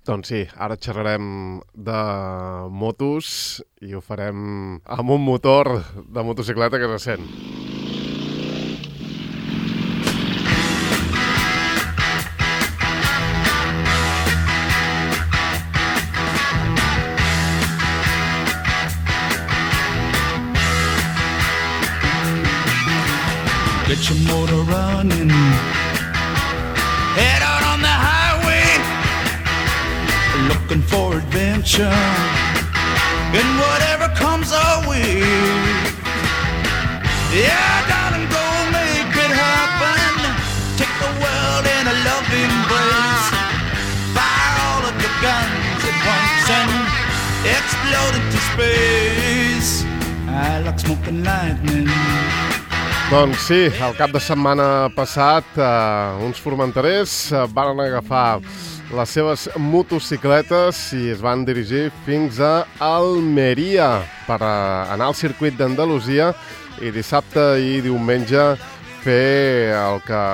Doncs sí, ara xerrarem de motos i ho farem amb un motor de motocicleta que se sent. Get your motor running. Head out on the highway, looking for adventure, and whatever comes our way. Yeah, darling, go make it happen. Take the world in a loving embrace. Fire all of your guns at once and explode into space. I like smoking lightning. Doncs sí, el cap de setmana passat uns formenterers van agafar les seves motocicletes i es van dirigir fins a Almeria per anar al circuit d'Andalusia i dissabte i diumenge fer el que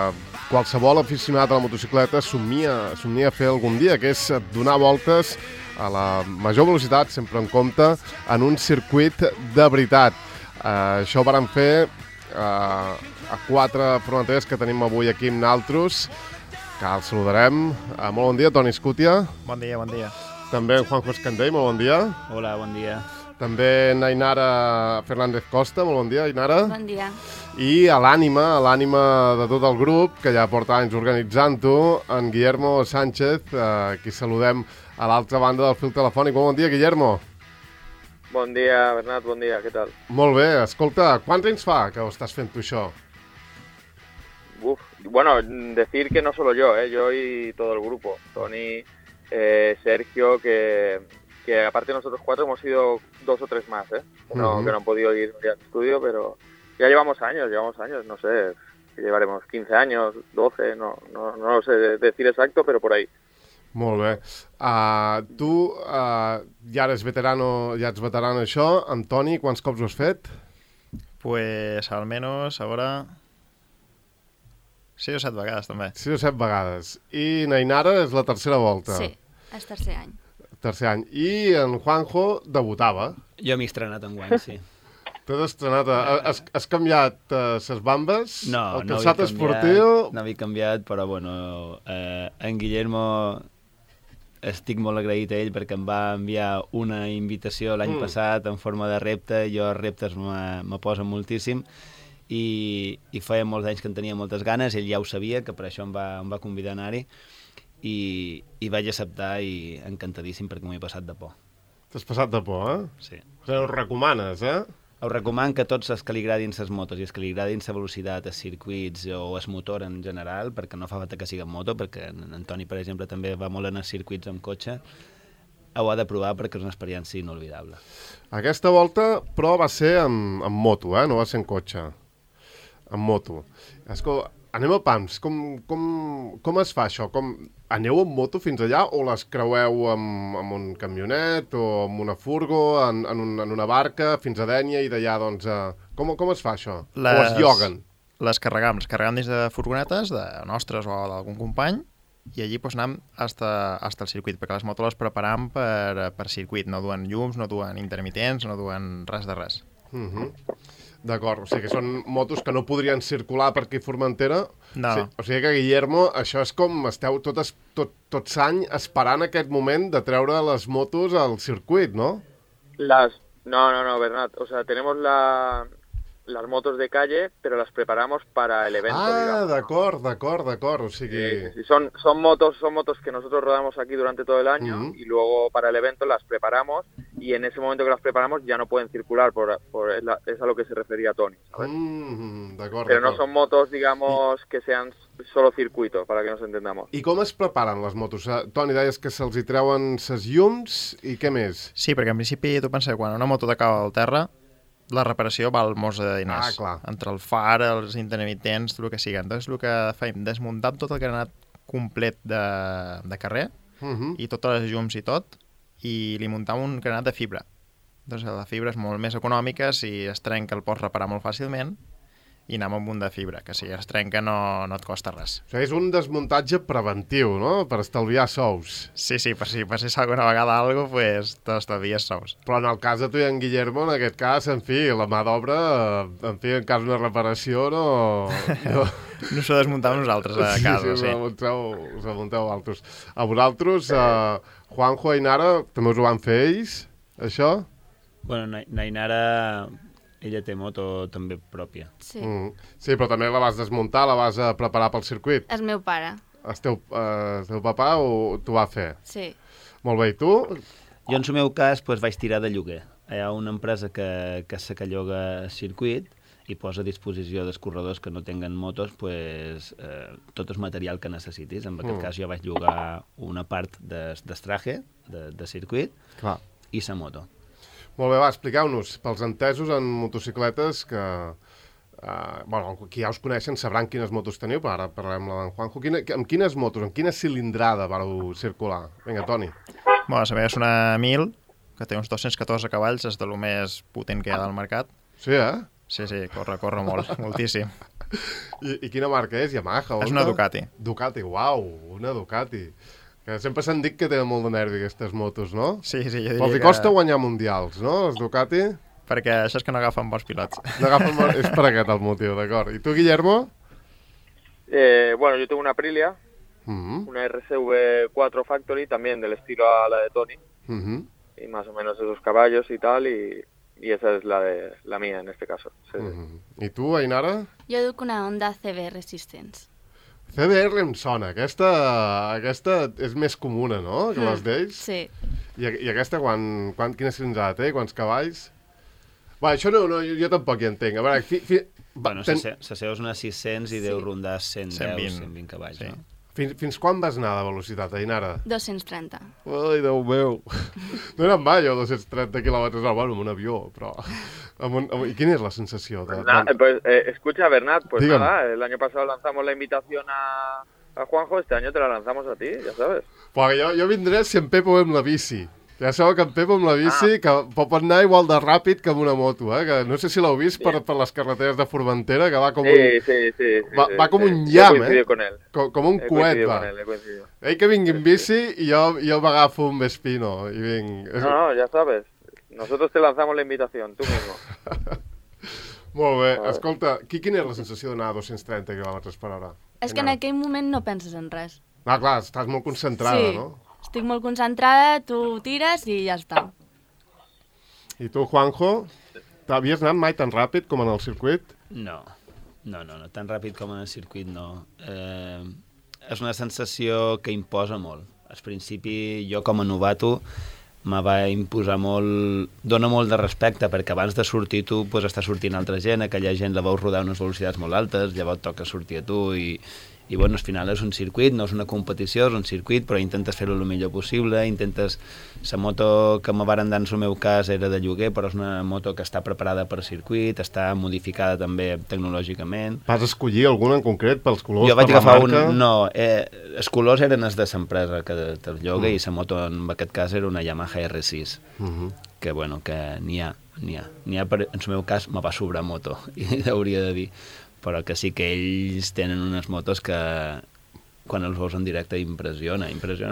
qualsevol aficionat a la motocicleta somnia fer algun dia, que és donar voltes a la major velocitat, sempre en compte, en un circuit de veritat. Això ho vàrem fer a 4 formenterers que tenim avui aquí amb naltros, que els saludarem. Molt bon dia, Toni Escútia. Bon dia, bon dia. També en Juanjo Escandell, molt bon dia. Hola, bon dia. També en Ainara Fernández Costa, molt bon dia, Ainara. Bon dia. I a l'ànima de tot el grup, que ja porta anys organitzant-ho, en Guillermo Sánchez, qui saludem a l'altra banda del fil telefònic. Bon dia, Guillermo. Bon dia, Bernat, bon dia, què tal? Molt bé, escolta, quants anys fa que ho estàs fent tu això? Bueno, decir que no solo yo y todo el grupo. Tony, Sergio, que aparte de nosotros 4 hemos ido 2 o 3 más, que no han podido ir al estudio, pero ya llevamos años, no sé, llevaremos 15 años, 12, no lo sé decir exacto, pero por ahí. Molt bé. Tu ja ets veterano en això. Amb Toni, quants cops ho has fet? Pues almenys, a veure... 6 o 7 vegades, també. 6 o 7 vegades. I Nainara és la tercera volta. Sí, és tercer any. Tercer any. I en Juanjo debutava. Jo m'he estrenat enguany, sí. T'has estrenat... Has canviat ses bambes? No, el calçat esportiu? No havia canviat, però bueno, en Guillermo estic molt agraït a ell perquè em va enviar una invitació l'any passat en forma de repte. Jo els reptes me posen moltíssim i feia molts anys que en tenia moltes ganes. Ell ja ho sabia, que per això em va convidar a anar-hi i vaig acceptar i encantadíssim perquè m'ho he passat de por. T'has passat de por, Sí. O sigui, ho recomanes, Us recomano que tots els que li agradin les motos i els que li agradin la velocitat, els circuits o el motor en general, perquè no fa falta que sigui en moto, perquè en Toni, per exemple, també va molt en els circuits amb cotxe, ho ha de provar perquè és una experiència inolvidable. Aquesta volta, però, va ser amb moto, no va ser en cotxe. Amb moto. Escolta, anem a pams. Com es fa això? Aneu amb moto fins allà o les creueu amb un camionet o amb una furgo, en una barca, fins a Dénia i d'allà, doncs... Com es fa això? O es lloguen? Les carregam dins de furgonetes, de nostres o d'algun company, i allí pues, anem hasta el circuit, perquè les motos les preparam per circuit. No duen llums, no duen intermitents, no duen res de res. D'acord, o sigui que són motos que no podrien circular per aquí a Formentera. No. Sí, o sigui que, Guillermo, això és com esteu tot l'any esperant aquest moment de treure les motos al circuit, ¿no? No, Bernat. O sea, tenemos las motos de calle, pero las preparamos para el evento, digamos. D'acord. O sigui... Sí. Son motos que nosotros rodamos aquí durante todo el año y luego para el evento las preparamos y en ese momento que las preparamos ya no pueden circular, es a lo que se refería Tony, ¿sabes? Pero no son motos, digamos, que sean solo circuito, para que nos entendamos. I com es preparen les motos? Toni, deies que se'ls hi treuen ses llums i què més? Sí, perquè en principi tu pensa que quan una moto t'acaba al terra, la reparació val molts de diners. Clar. Entre el far, els intermitents, tot el que sigui. Entonces, el que fem, desmuntar tot el granat complet de carrer i totes les llums i tot, i li muntam un granat de fibra. Entonces, la fibra és molt més econòmica, si es trenca el pots reparar molt fàcilment, i anar amb un de fibra, que si es trenca no et costa res. O sigui, és un desmuntatge preventiu, no?, per estalviar sous. Sí, per si passés alguna vegada alguna cosa, pues t'estalvies sous. Però en el cas de tu i en Guillermo, en aquest cas, en fi, la mà d'obra, en fi, en cas d'una reparació, no... No s'ho desmuntàvem nosaltres a casa, sí. Us amunteu altres. A vosaltres, Juanjo i Nara, també us ho van fer ells, això? Bueno, Nainara, ella té moto també pròpia. Sí. Sí, però també la vas desmuntar, la vas preparar pel circuit. És meu pare. El teu papa t'ho va fer? Sí. Molt bé, i tu? Jo, en el meu cas, vaig tirar de lloguer. Hi ha una empresa que se que lloga circuit i posa a disposició dels corredors que no tinguen motos tot el material que necessitis. En aquest cas jo vaig llogar una part d'estraje, de circuit, Clar. I la moto. Molt bé, va, expliqueu-nos, pels entesos en motocicletes que... qui ja us coneixen sabran quines motos teniu, però ara parlarem amb Juanjo. Amb quines motos, amb quina cilindrada vareu circular? Vinga, Toni. Bueno, la meva és una 1000, que té uns 214 cavalls, és de lo més potent que hi ha del mercat. Sí, eh? Sí, corre molt, moltíssim. I quina marca és? Yamaha? Honda? És una Ducati. Ducati, uau, una Ducati. Que sempre s'han dit que tenen molt de nervi aquestes motos, no? Sí, jo diria però els costa guanyar mundials, no, els Ducati? Perquè això és que no agafen bons pilots. És per aquest el motiu, d'acord. I tu, Guillermo? Bueno, yo tengo una Aprilia, una RSV 4 Factory, también del estilo a la de Tony, y más o menos esos caballos y tal, y esa es la mía en este caso. Sí. I tu, Ainara? Jo duc una Honda CB Resistance. CBR em sona, aquesta és més comuna, no?, que les d'ells. Sí. I aquesta, quina cilindrada té? Quants cavalls? Va, això no, jo tampoc hi entenc. A veure, bueno, la seva és una 600 i deu rondar 120 cavalls, sí. No? Fins quan vas anar de velocitat, Ainara? 230. Ai, Déu meu. No he anat mai a 230 quilòmetres al bueno, amb un avió, però... ¿Y quina és la sensació? Escucha, Bernat, pues Dígame. nada, el año pasado lanzamos la invitación a Juanjo, este año te la lanzamos a ti, ya sabes. Pues jo vindré si en Pepo amb la bici. Ja sabeu que en Pepo amb la bici que pot anar igual de ràpid que amb una moto, que no sé si l'heu vist per les carreteres de Formentera, que va com va com un llamp, com un coet, va. Ell que vingui en bici i jo m'agafo un Vespino i vinc. No, ya sabes, nosotros te lanzamos la invitación, tú mismo. Molt bé, escolta, quina és la sensació d'anar a 230 km per hora? És que en aquell moment no penses en res. Ah, clar, estàs molt concentrada, no? Estic molt concentrada, tu tires i ja està. I tu, Juanjo, havies anat mai tan ràpid com en el circuit? No, tan ràpid com en el circuit no. És una sensació que imposa molt. Al principi, jo com a novato, me va imposar molt... Dóna molt de respecte, perquè abans de sortir tu està sortint altra gent, aquella gent la veus rodar a unes velocitats molt altes, llavors toca sortir a tu i bueno, al final és un circuit, no és una competició, és un circuit, però intentes fer-ho el millor possible, La moto que me varen dar en el meu cas era de lloguer, però és una moto que està preparada per circuit, està modificada també tecnològicament. Vas escollir alguna en concret pels colors, jo vaig per la agafar marca? No, els colors eren els de l'empresa que te'l lloga i la moto en aquest cas era una Yamaha R6, que bueno, que n'hi ha, en el meu cas me va sobrar moto, i hauria de dir, però que sí que ells tenen unes motos que quan els veus en directe impressiona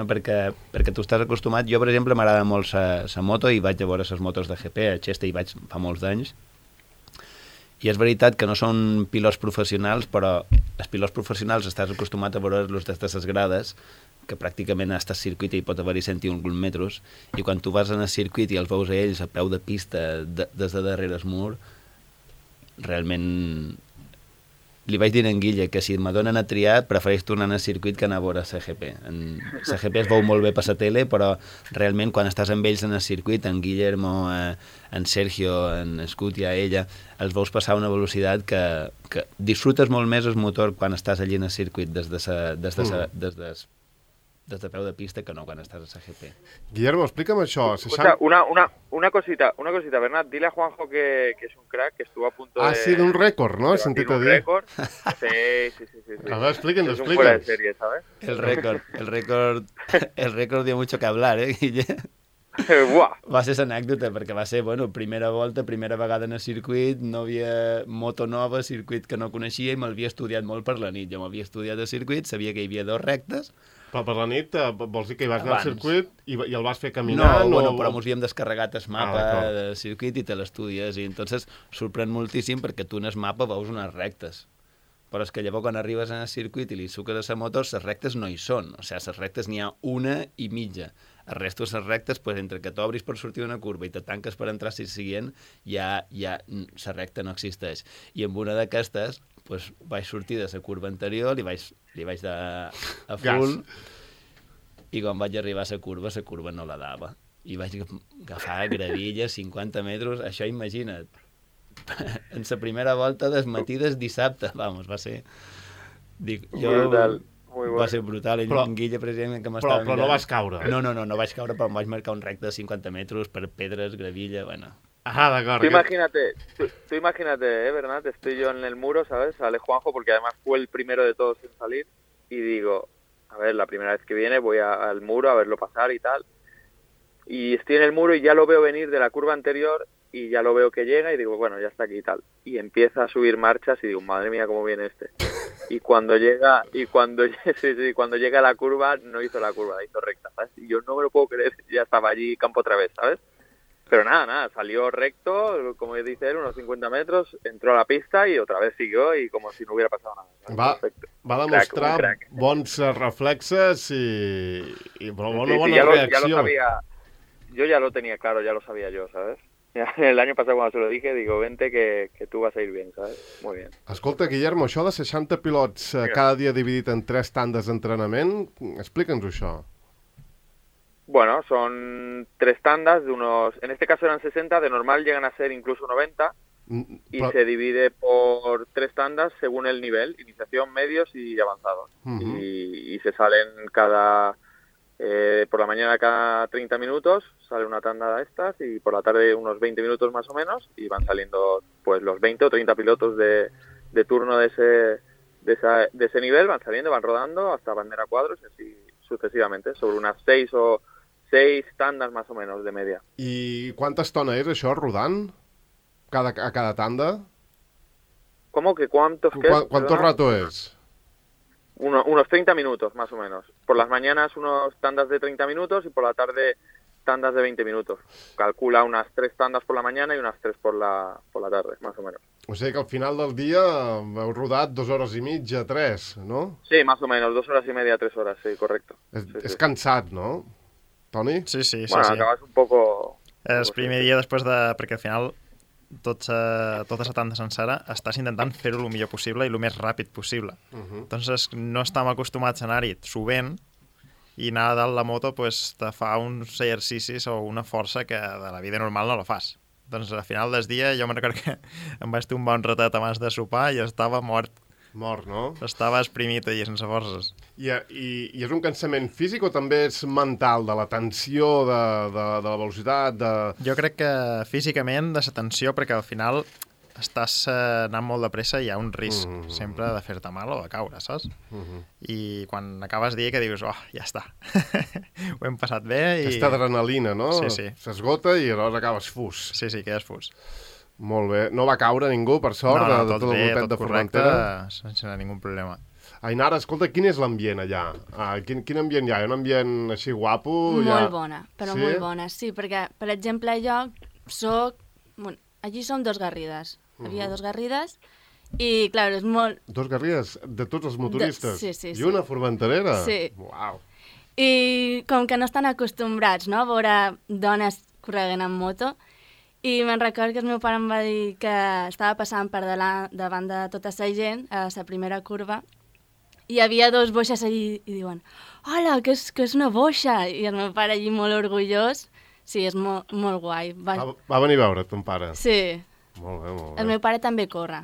perquè tu estàs acostumat. Jo, per exemple, m'agrada molt la moto i vaig a veure les motos de GP, a Cheste hi vaig fa molts anys, i és veritat que no són pilots professionals, però els pilots professionals estàs acostumat a veure-los des de les grades, que pràcticament a estar circuit i pot haver-hi 101 metres, i quan tu vas en el circuit i els veus a ells a peu de pista des de darrere el mur, realment... Li vaig dir a en Guille que si me donen a triar prefereix tornar al circuit que anar a veure CGP. CGP es veu molt bé per la tele, però realment quan estàs amb ells en el circuit, en Guillermo, en Sergio, en Scutia, ella, els veus passar a una velocitat que disfrutes molt més el motor quan estàs allí en el circuit des de peu de pista que no quan estàs a CGP. Guillermo, explica'm això. Escucha, una cosita, Bernat, dile a Juanjo que es un crack, que estuvo a punto de... sí, d'un rècord, ¿no? He sentit a dir. Un récord. Sí. A ver, explíquenlo. Es un fuera de serie, ¿sabes? El récord dio mucho que hablar, Guille? Buah. Va ser l'anècdota, perquè va ser, bueno, primera volta, primera vegada en el circuit, no havia moto nova, circuit que no coneixia i m'havia estudiat molt per la nit. Jo m'havia estudiat el circuit, sabia que hi havia 2 rectes. Però per la nit vols dir que hi vas anar al Abans. circuit i el vas fer caminant? No, bueno, o... però mos havíem descarregat el mapa d'acord. del circuit i te l'estudies, i entonces sorprèn moltíssim perquè tu en el mapa veus unes rectes. Però és que llavors quan arribes en el circuit i li suques a la moto, les rectes no hi són. O sigui, les rectes n'hi ha una i mitja. El resto de les rectes, pues, entre que t'obris per sortir d'una curva i te tanques per entrar a la següent, ja la recta no existeix. I amb una d'aquestes, pues, vaig sortir de la curva anterior, li vaig dar a full, i quan vaig arribar a la curva no la dava. I vaig agafar gravilla, 50 metres, això imagina't. En la primera volta des matí des dissabte, vamos, va ser... Dic, Brutal. Muy bueno. Va ser brutal. I Però- en Guilla, precisament, que m'estava Però no vas caure. No vaig caure, però em vaig marcar un recte de 50 metres per pedres, gravilla, bueno. Ah, d'acord. Tú imagínate, Bernat, estoy yo en el muro, ¿sabes? Sale Juanjo, porque además fue el primero de todos en salir, y digo, a ver, la primera vez que viene voy al muro a verlo pasar y tal, y estoy en el muro y ya lo veo venir de la curva anterior, y ya lo veo que llega, y digo, bueno, ya está aquí y tal, y empieza a subir marchas, y digo, madre mía, cómo viene este. Y cuando llega a la curva, no hizo la curva, la hizo recta, ¿sabes? Y yo no me lo puedo creer, ya estaba allí campo otra vez, ¿sabes? Pero nada, salió recto, como dice él, unos 50 metros, entró a la pista y otra vez siguió y como si no hubiera pasado nada. Perfecto. Va demostrar Un crack. bons reflexes i una Sí, bona ya lo reacció. sabía, yo ya lo tenía claro, ya lo sabía yo, ¿sabes? Ya, el año pasado cuando se lo dije, digo, vente que tú vas a ir bien, ¿sabes? Muy bien. Escolta, Guillermo, això de 60 pilots cada dia dividit en 3 tandes d'entrenament, explica'ns això. Bueno, son 3 tandas de unos, en este caso eran 60, de normal llegan a ser incluso 90 y Però- se divide por 3 tandas según el nivel, iniciación, medios y avanzados. Ujú. Y se salen por la mañana cada 30 minutos sale una tanda de estas y por la tarde unos 20 minutos más o menos y van saliendo pues los 20 o 30 pilotos de turno de ese nivel, van saliendo, van rodando hasta bandera cuadros y así sucesivamente, sobre unas 6 tandas más o menos de media. I quanta estona és això, rodant? A cada tanda? ¿Cómo que cuántos? ¿Qué? ¿Cuánto Perdona. rato es? Unos 30 minutos más o menos. Por las mañanas unos tandas de 30 minutos y por la tarde tandas de 20 minutos. Calcula unas 3 tandas por la mañana y unas 3 por la tarde, más o menos. O sigui que al final del dia heu rodat 2 hores i mitja, 3, no? Sí, más o menos, 2 horas y media, 3 horas, sí, correcto. És cansat, no? Toni? Sí. Bueno, acabas un poco... El primer dia després de... Perquè al final tota la tanda sencera estàs intentant fer-ho el millor possible i el més ràpid possible. Entonces no estem acostumats a anar-hi subent i anar a dalt la moto pues, te fa uns exercicis o una força que de la vida normal no la fas. Doncs al final del dia jo me'n recordo que em vaig fer un bon ratet abans de sopar i estava mort. Mort, no? Estava esprimit allà sense forces. I és un cansament físic o també és mental, de la tensió, de la velocitat, de... Jo crec que físicament de la tensió, perquè al final estàs anant molt de pressa i hi ha un risc sempre de fer-te mal o de caure, saps? I quan acabes dia que dius, oh, ja està, ho hem passat bé i... Aquesta adrenalina, no? Sí. S'esgota i aleshores acabes fus. Sí, quedes fus. Molt bé. No va caure ningú, per sort, de tot el voltet de Formentera? Sense ningú problema. Ainara, escolta, quin és l'ambient allà? Quin ambient hi ha? Hi ha un ambient així guapo? Molt bona, però Sí? molt bona, sí, perquè, per exemple, jo soc... Bueno, allí som 2 garrides. Havia 2 garrides i, clar, és molt... 2 garrigues de tots els motoristes? Sí. I una formenterera? Sí. Uau. I com que no estan acostumbrats, no?, a veure dones correguen en moto, i me'n record que el meu pare em va dir que estava passant per davant de tota la gent a la primera curva i hi havia 2 boixes allí i diuen hola, que és una boixa! I el meu pare allí molt orgullós. Sí, és molt guai. Va venir a veure ton pare? Sí. Molt bé, molt bé. El meu pare també corre.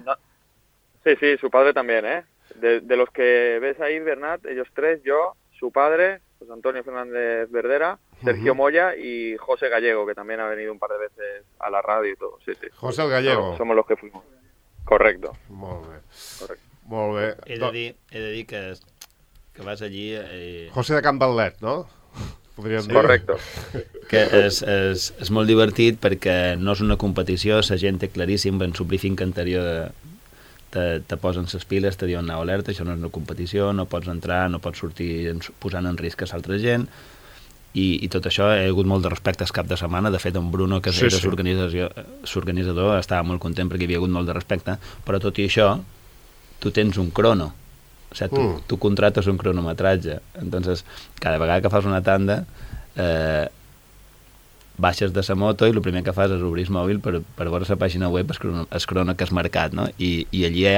Sí, su padre también, ¿eh? De los que ves ahí, Bernat, ellos 3, yo, su padre, José Antonio Fernández Verdera, Sergio Moya y José Gallego, que también ha venido un par de veces a la radio y todo. Sí. José el Gallego. Somos los que fuimos. Correcto. Molt bé. Correcto. Molt bé. He de dir que vas allí... José de Can Batlet, no? podríem dir. Correcto. Que és molt divertit perquè no és una competició, la gent té claríssim, en el briefing anterior te posen les piles, te diuen anau alerta, això no és una competició, no pots entrar, no pots sortir posant en risc a l'altra gent, i tot això hi ha hagut molt de respecte el cap de setmana. De fet, en Bruno, que era l'organitzador, estava molt content perquè hi havia hagut molt de respecte, però tot i això, tu tens un crono. O sigui, tu contrates un cronometratge. Entonces, cada vegada que fas una tanda, baixes de la moto i el primer que fas és obrir el mòbil per veure la pàgina web el crono que has marcat, no? I allí hi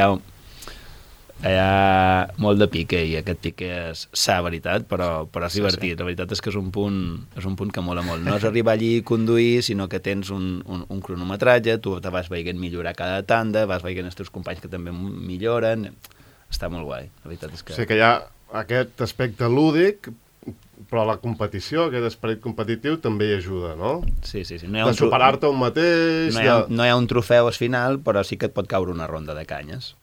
ha molt de pique, i aquest pique és sa veritat, però és divertit. Sí. La veritat és que és un punt que mola molt. No és arribar allí i conduir, sinó que tens un cronometratge, tu te vas veient millorar cada tanda, vas veient els teus companys que també milloren. Està molt guai, la veritat és que... O sigui que hi ha aquest aspecte lúdic, però la competició, aquest esperit competitiu, també hi ajuda, no? Sí. No de superar-te un mateix... No hi ha un trofeu al final, però sí que et pot caure una ronda de canyes.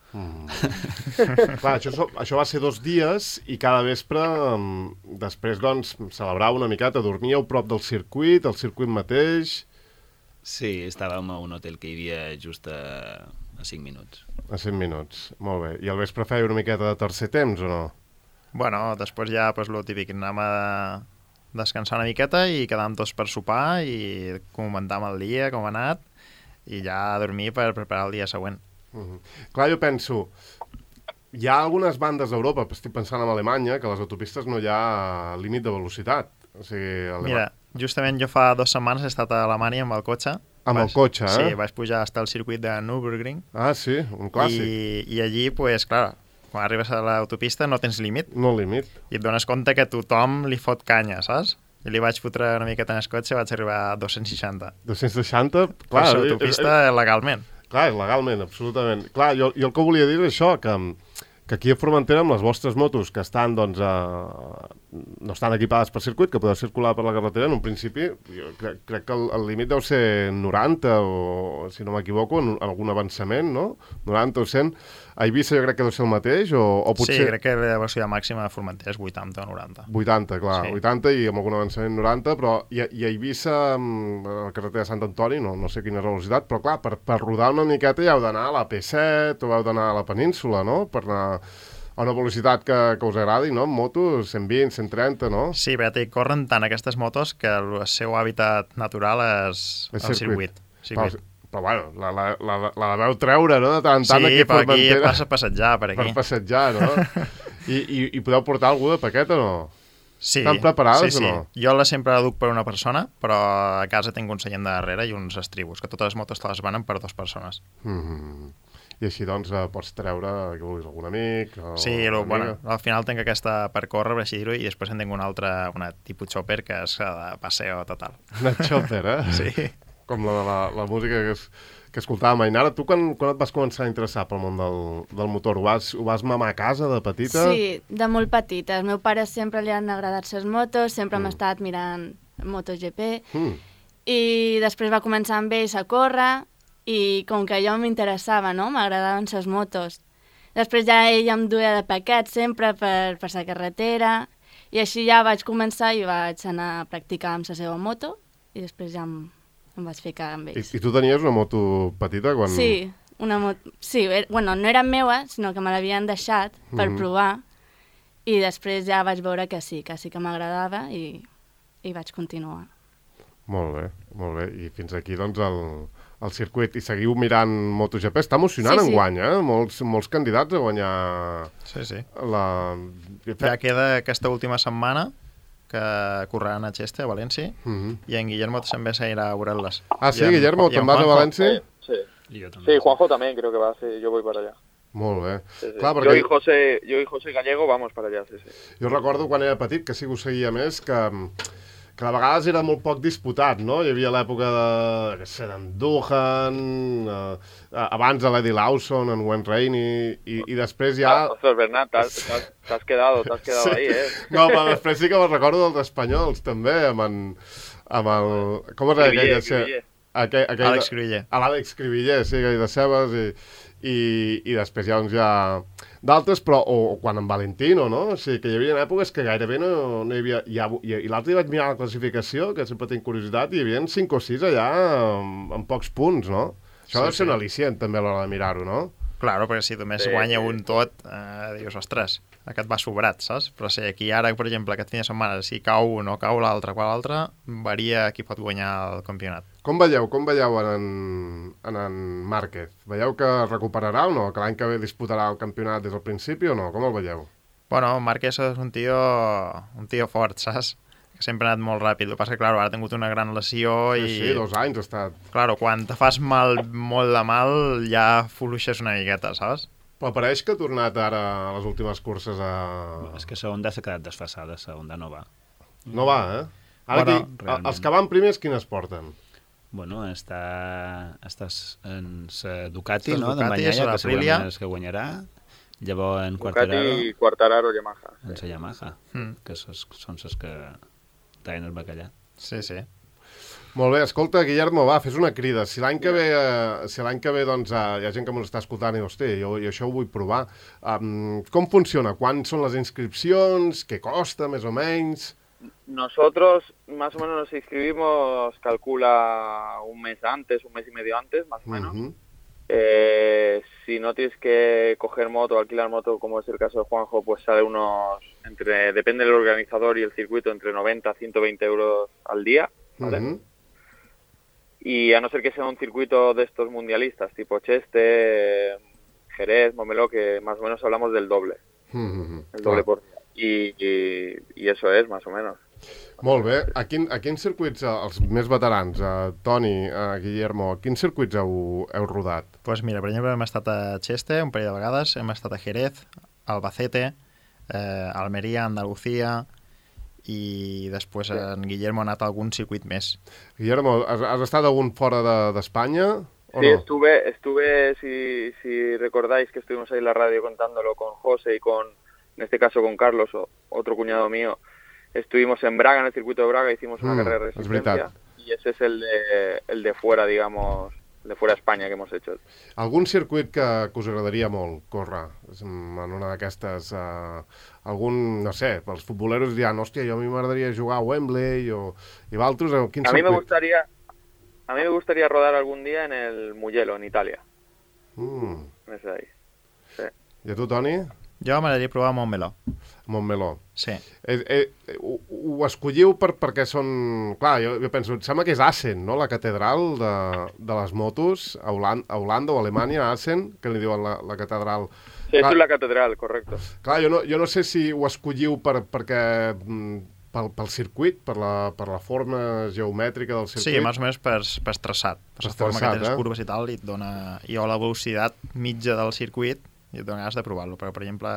Clar, això va ser 2 dies i cada vespre, després, doncs, celebrava una miqueta, dormíeu prop del circuit, el circuit mateix... Sí, estàvem a un hotel que hi havia just a 5 minuts. A 5 minuts, molt bé. I al vespre feia una miqueta de tercer temps, o no? Bueno, després ja, pues, lo típic, anàvem a descansar una miqueta i quedàvem tots per sopar i comentàvem el dia, com ha anat, i ja a dormir per preparar el dia següent. Clar, jo penso, hi ha algunes bandes d'Europa, estic pensant en Alemanya, que a les autopistes no hi ha límit de velocitat. O sigui, Mira, justament jo fa 2 setmanes he estat a Alemanya amb el cotxe. El cotxe, eh? Sí, vaig pujar fins al circuit de Nürburgring. Ah, sí, un clàssic. I allí, pues, clar, quan arribes a l'autopista no tens límit. No límit. I et dones compte que tothom li fot canya, saps? I li vaig fotre una miqueta en el cotxe i vaig arribar a 260. 260? Clar, per l'autopista legalment. Clar, legalment, absolutament. Clar, jo el que volia dir és això, que aquí a Formentera, amb les vostres motos, que estan, doncs, no estan equipades per circuit, que podeu circular per la carretera, en un principi, jo crec que el límit deu ser 90, o, si no m'equivoco, en algun avançament, no? 90 o 100. A Eivissa jo crec que deu ser el mateix, o potser... Sí, crec que la velocitat màxima de Formentera és 80 o 90. 80, clar, sí. 80 i amb algun avançament 90, però i a Eivissa, a la carretera de Sant Antoni, no sé quina és la velocitat, però clar, per rodar una miqueta ja heu d'anar a la P7 o heu d'anar a la península, no? Per anar a una velocitat que us agradi, no? En moto, 120, 130, no? Sí, perquè corren tant aquestes motos que el seu hàbitat natural és el circuit. Però bueno, la veu treure, no? De tant en tant aquí a Formentera. Sí, passa a passejar per aquí. Per passejar, no? I podeu portar algú de paquet o no? Sí. Estan preparades o no? Jo sempre la duc per una persona, però a casa tinc un seient de darrere i uns estribos, que totes les motos te les vanen per 2 persones. I així, doncs, pots treure, que vulguis, algun amic... Sí, bueno, al final tinc aquesta per córrer, per així dir-ho, i després en tinc una altra, una tipus chopper, que és de passeo total. Una chopper, eh? Sí. Com la música que escoltàvem. Ainara, tu quan et vas començar a interessar pel món del motor? Ho vas mamar a casa de petita? Sí, de molt petita. El meu pare sempre li han agradat les motos, sempre m'ha estat mirant MotoGP, i després va començar amb ells a córrer, i com que jo m'interessava, no? M'agradaven les motos. Després ja ell em duia de paquet sempre per la carretera, i així ja vaig començar i vaig anar a practicar amb la seva moto, i després ja em vaig ficar amb ells. I tu tenies una moto petita? Quan... Sí, una moto... Sí, bueno, no era meua, sinó que me l'havien deixat per provar, i després ja vaig veure que sí que m'agradava i vaig continuar. Molt bé. I fins aquí, doncs, el circuit. I seguiu mirant MotoGP. Està emocionant enguany, eh? Molts candidats a guanyar... Sí. Ja queda aquesta última setmana, que correran a Cheste, a València, i en Guillermo també s'irà a veure-les. Ah, sí, Guillermo, te'n vas a València? Sí, Juanjo también creo que va, sí, yo voy para allá. Molt bé. Sí. Clar, perquè... yo y José Gallego vamos para allá, sí. Jo recordo quan era petit, que sí que ho seguia més, que de vegades era molt poc disputat, no? Hi havia l'època d'Andújar, abans de l'Eddie Lawson, en Wayne Rainey, i després ja... Ostras, Bernat, t'has quedado sí. Ahí, eh? No, però després sí que me'n recordo dels espanyols, també, amb el... Com es deia aquell? Àlex Cribiller. L'Àlex Cribiller, sí, aquell de Cebes, i després doncs, hi ha d'altres, però o quan en Valentino, no? O sigui, que hi havia èpoques que gairebé no hi havia... I l'altre dia vaig mirar la classificació, que sempre tinc curiositat, i hi havia 5 o 6 allà amb pocs punts, no? Això deu ser un al·licient, també, a l'hora de mirar-ho, no? Claro, perquè si només guanya un tot, dius, ostres, aquest va sobrat, saps? Però si aquí ara, per exemple, aquest fin de setmana, si cau o no cau l'altre, qual l'altre, varia qui pot guanyar el campionat. Com veieu en Márquez? Veieu que recuperarà o no? Que l'any que ve disputarà el campionat des del principi o no? Com el veieu? Bueno, Márquez és un tio fort, saps? Que sempre ha anat molt ràpid. El que passa que, clar, ara ha tingut una gran lesió i... Sí, 2 anys ha estat. Claro, quan te fas molt de mal, ja fluixes una miqueta, saps? Però pareix que ha tornat ara a les últimes curses a... És que la Honda s'ha quedat desfasada, la Honda no va. No va, eh? Ara Bueno, els que van primers, quines porten? Bueno, estàs en la Ducati, Estàs no? Ducati, D'en Bagnaia, la que Aprilia. segurament és que guanyarà. Llavors en Ducati, Quartararo, Yamaha. en la Yamaha, que són les que tallen el bacallà. Sí, sí. Molt bé, escolta, Guillermo, va, fes una crida. Si l'any que ve doncs, hi ha gent que m'ho està escoltant i, hòstia, jo això ho vull provar. Com funciona? Quan són les inscripcions? Què costa, més o menys? Nosotros más o menos nos inscribimos, calcula un mes antes, un mes y medio antes, más o menos. Mhm. Si no tienes que coger moto, alquilar moto, como es el caso de Juanjo, pues sale depende del organizador y el circuito, entre 90 a 120 euros al día, ¿vale? Mhm. Y a no ser que sea un circuito de estos mundialistas, tipo Cheste, Jerez, Montmeló, que más o menos hablamos del doble, Mhm. el doble por día. Y eso es, más o menos. Molt bé. A quins circuits, els més veterans, Toni, Guillermo, a quins circuits heu rodat? Pues mira, per exemple, hem estat a Cheste un parell de vegades, hem estat a Jerez, Albacete, Almeria, Andalucía, i després en Guillermo ha anat a algun circuit més. Guillermo, has estat algun fora d'Espanya o Sí, no? estuve si recordáis que estuvimos ahí en la radio contándolo con José y en este caso con Carlos, otro cuñado mío. Estuvimos en Braga, en el circuito de Braga, hicimos una carrera de és resistencia. veritat. Y ese es el de fuera, digamos, de fuera de España que hemos hecho. Algun circuit que us agradaria molt córrer en una d'aquestes... algun, no sé, els futboleros diran, hòstia, jo a mi m'agradaria jugar a Wembley i d'altres, quin A mí circuit? me gustaría rodar algún día en el Mugello, en Italia. Mm. Ese de ahí. Sí. I a tu, Toni? Jo m'agradaria provar Montmeló. Montmeló. Sí. Ho escolliu perquè són... Clar, jo penso, em sembla que és Assen, no?, la catedral de les motos, a Holanda o Alemanya, Assen, que li diuen la catedral. Sí, eso es la catedral, correcto. Clar, jo no sé si ho escolliu perquè... pel circuit, per la forma geomètrica del circuit. Sí, més o menys per traçat. Per la forma que tens eh? curves i tal, i et dona... I o la velocitat mitja del circuit, i et dona ganes de provar-lo. Però, per exemple,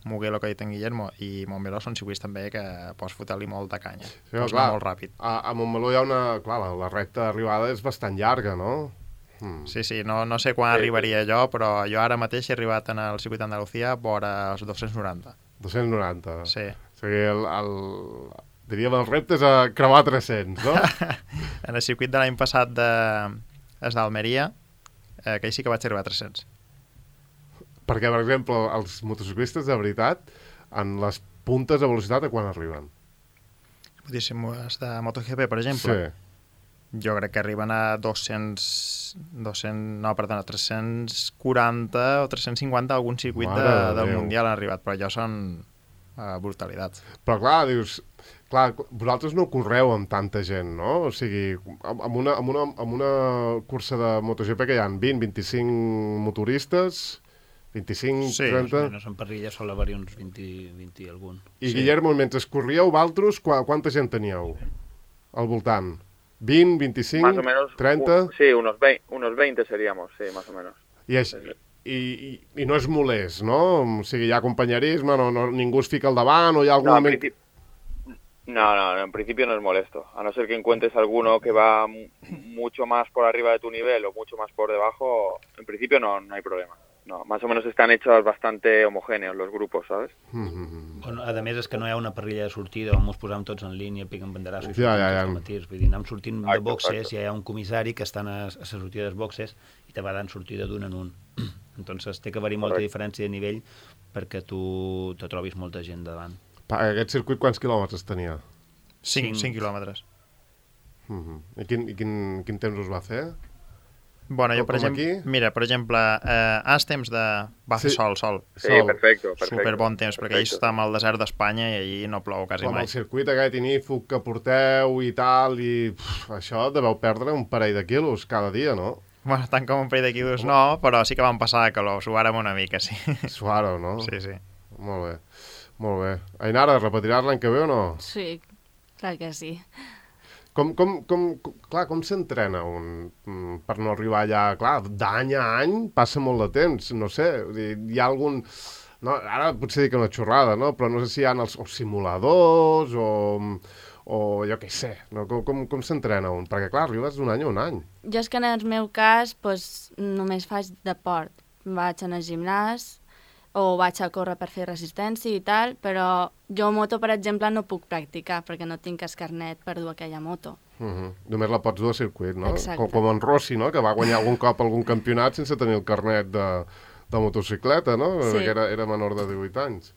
Mugello, que ha dit en Guillermo, i Montmeló són circuits també que pots fotre-li molta canya. Sí, Pots clar, anar molt ràpid. a Montmeló hi ha una... Clar, la recta d'arribada és bastant llarga, no? Sí, no sé quan arribaria jo, però jo ara mateix he arribat en el circuit d'Andalucía vora els 290. 290. Sí. O sigui, diríem, el repte és a creuar 300, no? En el circuit de l'any passat d'Almeria, aquell sí que vaig arribar a 300. Perquè, per exemple, els motociclistes de veritat, en les puntes de velocitat, a quan arriben? Diguéssim, els de MotoGP, per exemple, jo crec que arriben a 340 o 350 a algun circuit del Mundial han arribat, però allò són brutalitats. Però clar, dius... Clar, vosaltres no correu amb tanta gent, no? O sigui, amb una cursa de MotoGP que hi ha 20, 25 motoristes, 25, Sí, 30... No són parrilles, sol haver-hi uns 20 i algun. I Guillermo, mentre corríeu, vosaltres, quanta gent teníeu al voltant? 20, 25, Más o menos, 30? sí, unos 20 seríamos, sí, más o menos. I no és molest, no? O sigui, hi ha companyerisme, ningú es fica al davant, o hi ha algun moment... No, en principio no es molesto. A no ser que encuentres alguno que va mucho más por arriba de tu nivel o mucho más por debajo, en principio no hay problema. No, más o menos están hechos bastante homogéneos los grupos, ¿sabes? Bueno, a més, és que no hi ha una parrilla de sortida on ens posam tots en línia, piquen banderassos i Ja. Vull dir, anem sortint de boxes, hi ha un comissari que estan a la sortida dels boxes i te va dant sortida d'un en un. Entonces té que haver-hi molta diferència de nivell perquè tu te trobis molta gent davant. Aquest circuit quants quilòmetres tenia? 5 quilòmetres. I quin temps us va fer? Bueno, jo, Com per exemple, aquí? mira, per exemple, has temps de... Va fer Sí. sol. Sí, perfecto. Super bon temps, perquè allí està al desert d'Espanya i allí no plou quasi Com mai. el circuit aquest inífug que porteu i tal, i això deveu perdre un parell de quilos cada dia, no? Bueno, tant com un parell de quilos no, però sí que vam passar de calor, suàrem una mica, sí. Suaro, no? Sí. Molt bé. Ainara, repetiràs l'any que ve o no? Sí, clar que sí. Com s'entrena un per no arribar allà? Clar, d'any a any passa molt de temps, no sé, hi ha algun... No, ara potser dic una xorrada, no? Però no sé si hi ha els simuladors o jo què sé, no? Com s'entrena un? Perquè clar, arribes d'un any a un any. Jo és que en el meu cas només faig deport. Vaig anar al gimnàs o vaig a córrer per fer resistència i tal, però jo moto, per exemple, no puc practicar perquè no tinc el carnet per dur aquella moto. Només la pots dur a circuit, no? Exacte. Com en Rossi, no? Que va guanyar algun cop algun campionat sense tenir el carnet de motocicleta, no? Sí. Perquè era menor de 18 anys.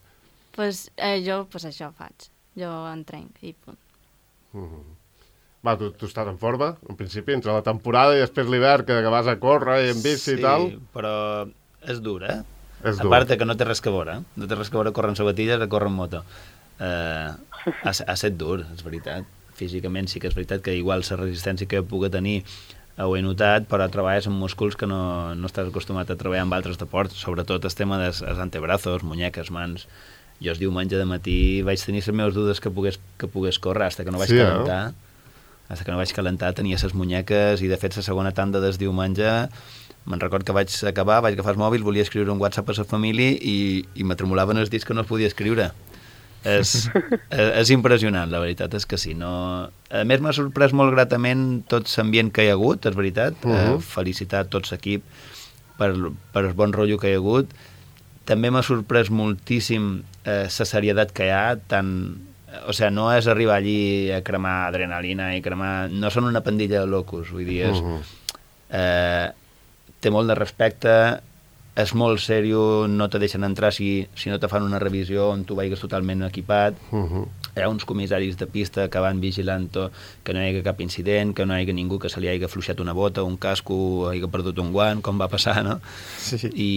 Jo això faig. Jo entrenc i punt. Va, tu estàs en forma, en principi, entre la temporada i després l'hivern, que vas a córrer i en bici i tal. Sí, però és dur, eh? És A dur. part que no té res que veure, no té res que veure córrer en sabatilles o córrer en moto. Ha estat dur, és veritat. Físicament sí que és veritat que igual la resistència que jo pugui tenir ho he notat, però treballes amb músculs que no estàs acostumat a treballar amb altres deports, sobretot el tema dels antebrazos, muñeques, mans. Jo el diumenge de matí vaig tenir les meves dudes que pogués córrer, fins que no vaig calentar. Fins que no vaig calentar tenia les muñeques i de fet la segona tanda del diumenge me'n record que vaig acabar, vaig agafar el mòbil, volia escriure un WhatsApp a la família i me tremolaven els dits que no es podia escriure. És impressionant, la veritat és que sí. No... A més, m'ha sorprès molt gratament tot l'ambient que hi ha hagut, és veritat. Felicitar tot l'equip per el bon rotllo que hi ha hagut. També m'ha sorprès moltíssim la serietat que hi ha, o sigui, no és arribar allí a cremar adrenalina i cremar... No són una pandilla de locos, vull dir, té molt de respecte, és molt sèrio, no te deixen entrar si no te fan una revisió on tu vagis totalment equipat. Hi ha uns comissaris de pista que van vigilant que no hi hagi cap incident, que no hi hagi ningú que se li hagi fluixat una bota, un casco, hagi perdut un guant, com va passar, no? Sí. I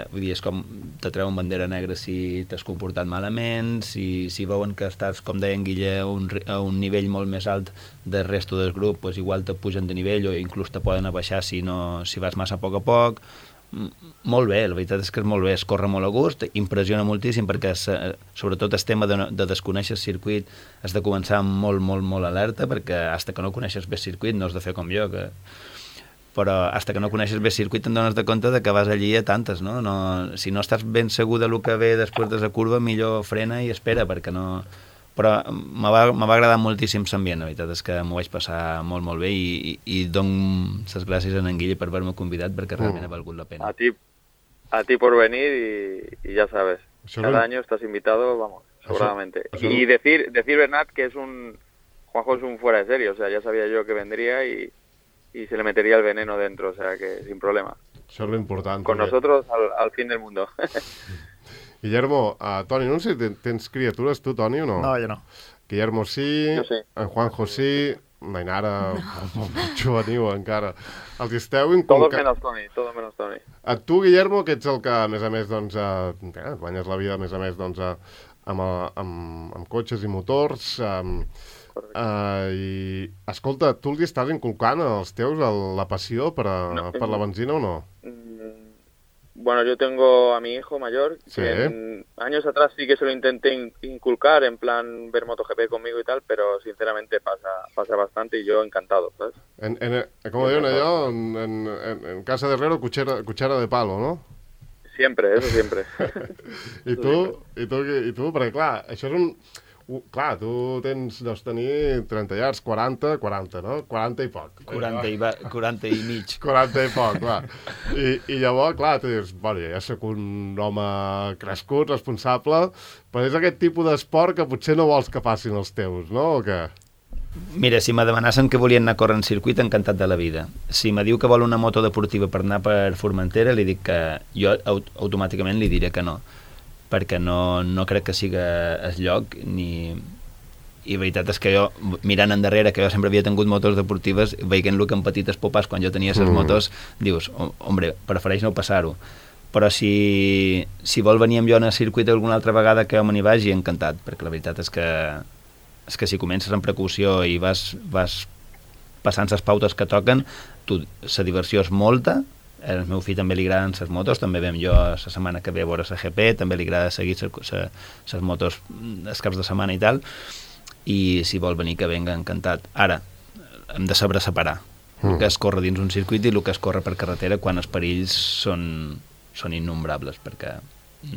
vull dir, és com te treuen bandera negra si t'has comportat malament, si veuen que estàs, com deia en Guille, a un nivell molt més alt del resto del grup, doncs igual te pugen de nivell o inclús te poden abaixar si vas massa a poc. Molt bé, la veritat és que és molt bé, es corre molt a gust, impressiona moltíssim perquè sobretot el tema de desconèixer el circuit has de començar molt alerta perquè fins que no coneixes bé el circuit no has de fer com jo, però fins que no coneixes bé el circuit te'n dones de compte de que vas allí a tantes, no? Si no estàs ben segur de lo que ve després de la curva, millor frena i espera perquè no... Però me va agradar moltíssim l'ambient, la veritat és que m'ho vaig passar molt bé i dono les gràcies a en Guille per haver-me convidat perquè realment ha valgut la pena. A ti por venir y ya sabes, cada año estás invitado, vamos, sobradamente. Y decir Bernat que Juanjo es un fuera de serie, o sea, ya sabía yo que vendría y se le metería el veneno dentro, o sea que sin problema. Això és l'important. Con nosotros al fin del mundo. Guillermo, Toni, no sé si tens criatures tu, Toni, o no? No, jo no. Guillermo sí, Jo sí. en Juanjo sí, l'Ainara molt juvenil encara. Els esteu Todos menos Toni. Tu, Guillermo, que ets el que, a més, doncs, guanyes la vida, a més, doncs, amb cotxes i motors, i, escolta, tu els estàs inculcant als teus la passió per la benzina o no? Bueno, yo tengo a mi hijo mayor, Sí. que años atrás sí que se lo intenté inculcar, en plan ver MotoGP conmigo y tal, pero sinceramente pasa bastante y yo encantado, ¿sabes? Com diuen allò, en casa de herrero, cuchara de palo, no? Siempre, eso siempre. I tu, perquè clar, això és clar, tu deus tenir 30 llargs, 40, no? 40 i poc. 40 i mig. 40 i poc, clar. I llavors, clar, tu dius, bueno, ja soc un home crescut, responsable, però és aquest tipus d'esport que potser no vols que passin els teus, no? O què? Mira, si me demanassen que volien anar a córrer en circuit, encantat de la vida. Si me diu que vol una moto deportiva per anar per Formentera, li dic que jo automàticament li diré que no, perquè no crec que siga el lloc ni... I la veritat és que jo, mirant endarrere, que jo sempre havia tingut motos deportives, veient-lo que en petites popes, quan jo tenia les motos, dius, hombre, prefereix no passar-ho. Però si vol venir amb jo en el circuit alguna altra vegada que jo me n'hi vagi, encantat, perquè la veritat és que si comences amb precaució i vas passant les pautes que toquen, la diversió és molta. Al meu fill també li agraden les motos, també vam jo la setmana que ve a veure la GP, també li agrada seguir les motos els caps de setmana i tal, i si vol venir que venga, encantat. Ara, hem de saber separar el que es corre dins un circuit i el que es corre per carretera quan els perills són innombrables, perquè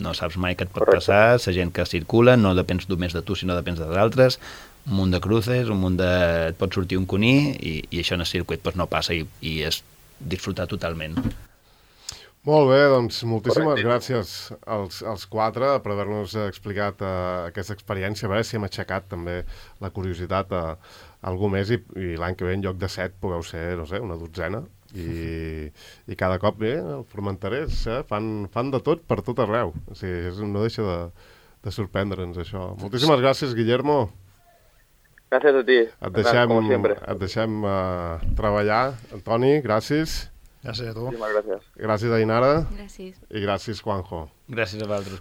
no saps mai què et pot passar, la gent que circula no depens només de tu, sinó depens dels altres, un munt de cruces, et pot sortir un cuní, i això en el circuit no passa, i és disfrutar totalment. Molt bé, doncs moltíssimes gràcies als quatre per haver-nos explicat aquesta experiència, a veure si hem aixecat també la curiositat a algú més, i l'any que ve en lloc de 7 pugueu ser, no sé, una dotzena. I cada cop els formenterers fan de tot per tot arreu. O sigui, no deixa de sorprendre'ns això. Moltíssimes gràcies, Guillermo. Gràcies a ti. Et deixem treballar. Antoni, gràcies. Gràcies a tu. Gràcies. Gràcies, Ainara. Gràcies. I gràcies, Juanjo. Gràcies a vosaltres.